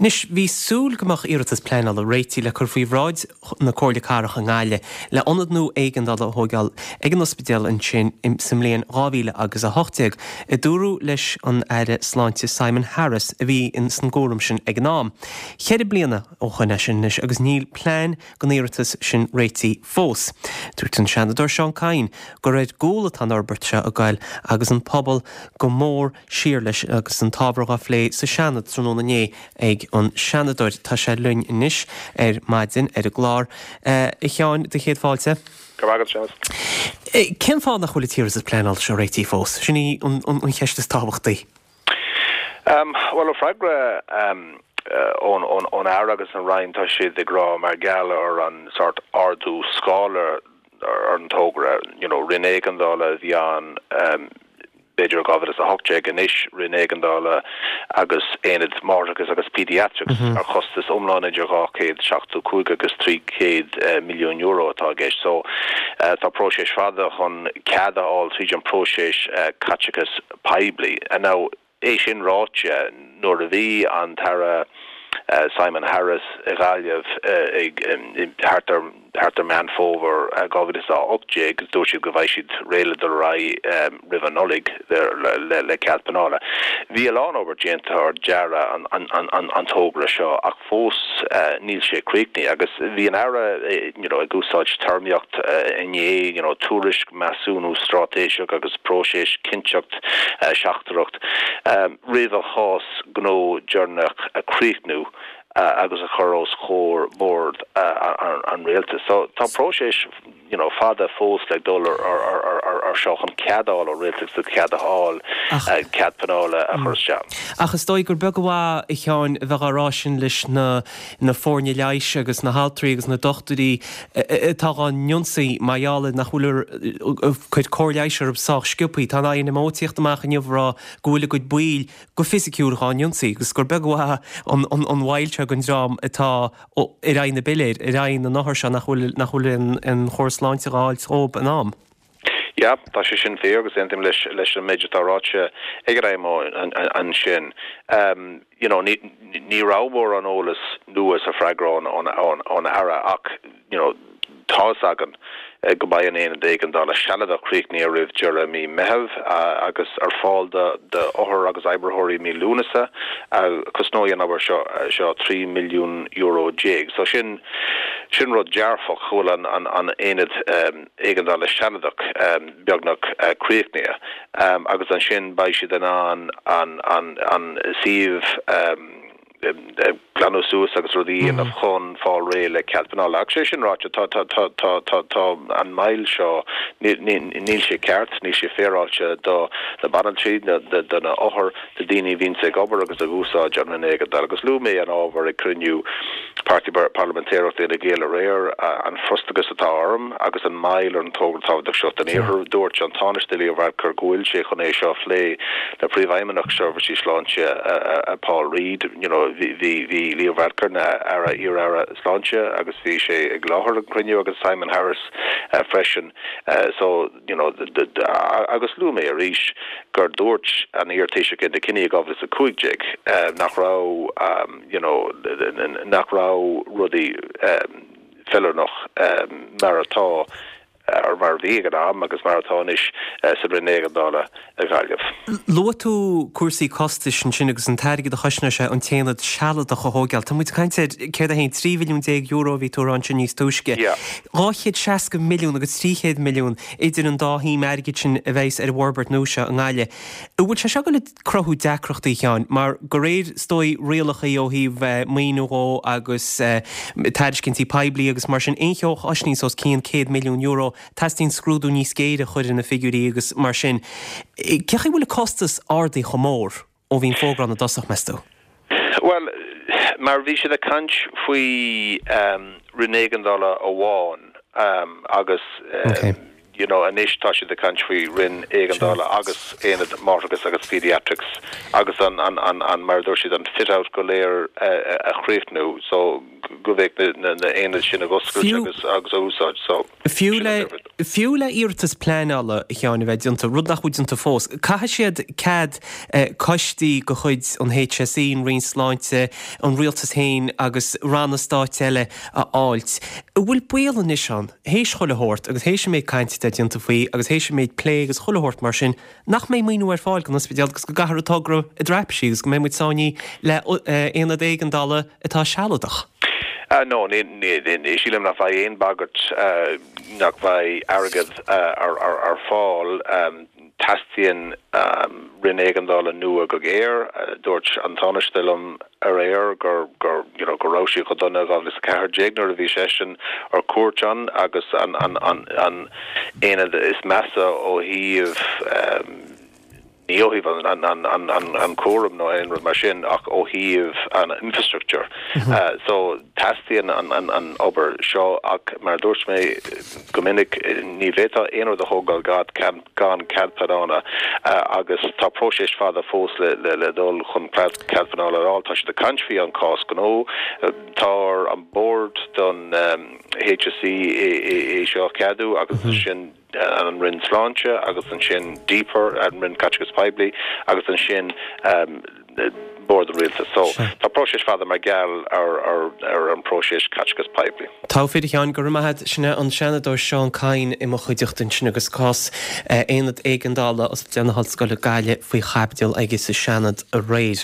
Anois, bhí súil go mbeadh iarratas pleanála réitithe le cur faoi bhráid na Comhairle Cathrach i nGaillimh le ionad nua éigeandála a thóigeáil ag an ospidéal ansin sa mbliain 2000 agus 18, a dúradh leis an Aire Sláinte Simon Harris a bhí san gcúram sin ag an am. Cheithre bliana ó shoin é sin anois agus níl plean don iarratas sin réitithe fós. Dúirt an Seanadóir Seán Kyne gur ar gcúl atá an fhorbairt seo ag goil agus an pobal go mór siar leis agus an t-ábhar dhá phlé sa Seanad tráthnóna inné ag an Seanadóir. Tá sé linn anois ar maidin ar an gclár. A Sheáin, do chéad fáilte. Go raibh maith agat, Séamus. Cén fáth nach bhfuil an t-iarratas pleanála seo réitithe fós? Sin í an cheist is tábhachtaí. Bhuel, ó freagra ón Aire agus an Roinn, tá siad ag rá mar gheall ar an sórt ardú scála ar an togra, you know, roinn éigeandála a bhí ann b'fhéidir i 2018, anois roinn éigeandála agus aonad máithreachais agus paediatrics ar chostas iomlán idir 275 agus 300 milliún euro atá i gceist. So tá próiseas fada chun cead a fháil tríd an próiseas caiteachas poiblí. Now É sin ráite, nuair a bhí an tAire Simon Harris i Gaillimh ag thart ar thart ar Meán Fómhair 2018, dúirt siad go mbeidh siad réidh le dul ar aghaidh roimh an Nollaig le cead pleanála. Bhí a lán obair déanta ar dearadh an togra seo ach fós níl sé críochnaithe agus bhí an Aire you know ag úsáid téarmaíocht inné you know tuairisc, measúnú straitéiseach agus próiseas cinnteacht seachtrach roimh an chás gnó deireanach a chríochnú agus a chur os comhair bhord an rialtais. So tá próiseas you know fada fós le dul ar seo chun cead a fháil ó rialtas le cead a fháil cead pleanála a chur isteach. Ach is dóigh gur beag an mhaith, a Sheáin, a bheith á rá sin leis na na foirne leighis agus na haltraí agus na dochtúirí atá dhá n-ionsaí mar gheall ar nach bhfuil ag cur cóir leighis orthu sách sciobthaí. Tá an INMO ag tíocht amach inniu ag rá go bhfuil a gcuid baill go fisiciúil dhá n-ionsaí agus gur beag an mhaith an mhoill seo don dream atá ar aghaidh na bpiléir, ar aghaidh na n-othar seo nach bhfuil nach bhfuil an chóir sláinte dhá fháilt dhóib in am. Yeah, tá sé sin fíor agus aontaím leis leis an méid atá ráite ag an IMO ansin. You know, ní ní raibh mórán eolas nua sa freagra ón ón ón Aire ach, you know, tá's againn go mbeidh an aonad éigeandála sealadach críochnaithe roimh deireadh mí Meitheamh agus ar fáil do d'othair agus oibritheoirí mí Lúnasa. Cosnóidh an obair seo seo €13 milliún. So sin sin rud dearfach go bhfuil an an an aonad éigeandála sealadach beagnach críochnaithe agus ansin beidh siad in ann an an an suíomh glanadh suas agus rudaí a dhéanamh chun fáil réidh le cead pleanála. Ach sé sin ráite, tá, tá, tá, tá, tá, tá an moill seo, níl, níl, níl sé ceart, níl sé féaráilte do na banaltraí, do, do na othair, do daoine a bhíonns ag obair agus ag úsáid an roinn éigeandála. Agus luaigh mé an ábhar ag cruinniú Páirtí Parlaimintéireachta Fhine Gael aréir, an frustrachas atá orm agus an moill ar an togra tábhachtach seo don Iarthar. Dúirt an Tánaiste Leo Varadkar go bhfuil sé chun é seo a phlé le Príomhfheidhmeannach Seirbhísí Sláinte Paul Reid. You know, bhí bhí Leo Varadkar ina aire, iar-aire sláinte agus bhí sé ag láthair an cruinniú agus Simon Harris freisin. So, you know, agus luaigh mé arís gur dúirt an iar-Taoiseach Enda Kenny i 2015 nach raibh, you know, nach raibh rudaí feiliúnach mar atá ar mar a bhí ag an am agus mar atá anois sa Roinn Éigeandála i nGaillimh. Luaigh tú cúrsaí costais ansin agus an t-airgead a chosnóidh sé an t-aonad sealadach a thóigeáil. Tá muid ag caint ar, céard é féin, 13 mhilliún euro a bhí tú a rá ansin níos túisce. 260 milliún agus 300 milliún idir an dá shuim airgid sin a bheas ar an bhforbairt nua seo i nGaillimh. An bhfuil sé seo ag dul ag cruthú deacrachtaí, a Sheáin, mar de réir, is dóigh, rialacha ó thaobh maoiniú dhó agus tairiscintí poiblí agus mar sin, aon cheo a chosnaíonns os cionn €100 milliún, teastaíonn scrúdú níos géire a chur ar na figiúirí agus mar sin. Cén chaoi a bhfuil an costas ardaithe chomh mór ó bhí an fógra ann i dtosach, meas tú? Bhuel, mar bhí siad ag caint faoi roinn éigeandála amháin agus. you know anois tá siad ag caint faoi roinn éigeandála agus aonad máithreachais agus paediatrics agus an, an, an, an, mar a dúirt siad, an fit out go léir a chríochnú so go mbeidh na, na, na aonaid sin ag oscailt agus, agus á úsáid so Fiú le, fiú le iarratas pleanála, a Sheáin, a bheith déanta, rud nach bhfuil déanta fós, caithfidh siad cead coistí de chuid an HSE, an Roinn Sláinte, an Rialtas féin agus ranna stáit eile a fháilt. An bhfuil baol anois ann, théis chuile shórt agus théis an méid cainte atá déanta faoi agus théis an méid plé agus chuile shórt mar sin, nach mbeidh maoiniú ar fáil don ospidéal agus go gcaithfear an togra i dtraipisí agus go mbeidh muid sáinnithe le aonad éigeandála atá sealadach? No, ní, sílim nach mbeidh aon bagairt nach mbeidh airgead ar fáil. Teastaíonn roinn éigeandála nua go géar. Dúirt an Tánaiste liom aréir gur, gur, you know, go raibh sí chomh dona i 2014 nuair a bhí seisean ar cuairt ann agus an, an, an, an aonad is measa ó thaobh, ní ó thaobh an, an, an, an, an cúram nó aon rud mar sin ach ó thaobh an infrastructure. So teastaíonn an, an, an obair seo ach mar a dúirt mé go minic ní bhféadfá aon rud a thógáil gan, gan cead pleanála agus tá próiseas fada fós le dul chun cead pleanála a fháil. Tá siad ag caint faoi an cás gnó. Tá ar an bord don HSE é seo a cheadú agus ansin an Roinn Sláinte agus ansin DPER, an Roinn Caiteachais Poiblí agus ansin Bord an Rialtais. So, tá próiseas fada mar gheall ar an próiseas caiteachais poiblí. Togha fir, a Sheáin, go raibh maith agat. Sin é an Seanadóir Seán Kyne i mo chuideachta ansin agus cás Aonad Éigeandála Ospidéal na hOllscoile Gaillimh faoi chaibidil aige sa Seanad aréir.